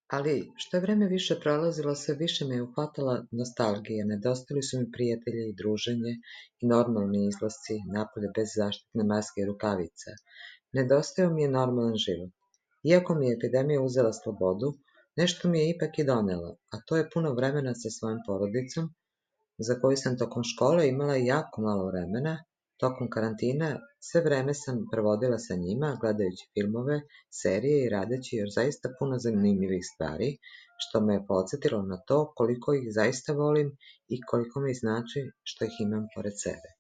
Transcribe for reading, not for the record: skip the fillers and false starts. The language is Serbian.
Ali, što je vreme više prolazilo, sve više me je uhvatala nostalgija. Nedostali su mi prijatelji i druženje i normalni izlasci napolje bez zaštitne maske i rukavica. Nedostajao mi je normalan život. Iako mi je epidemija uzela slobodu, nešto mi je ipak i donela, a to je puno vremena sa svojom porodicom, za koju sam tokom škole imala jako malo vremena. Tokom karantina sve vreme sam provodila sa njima, gledajući filmove, serije i radeći još zaista puno zanimljivih stvari, što me je podsjetilo na to koliko ih zaista volim i koliko mi znači što ih imam pored sebe.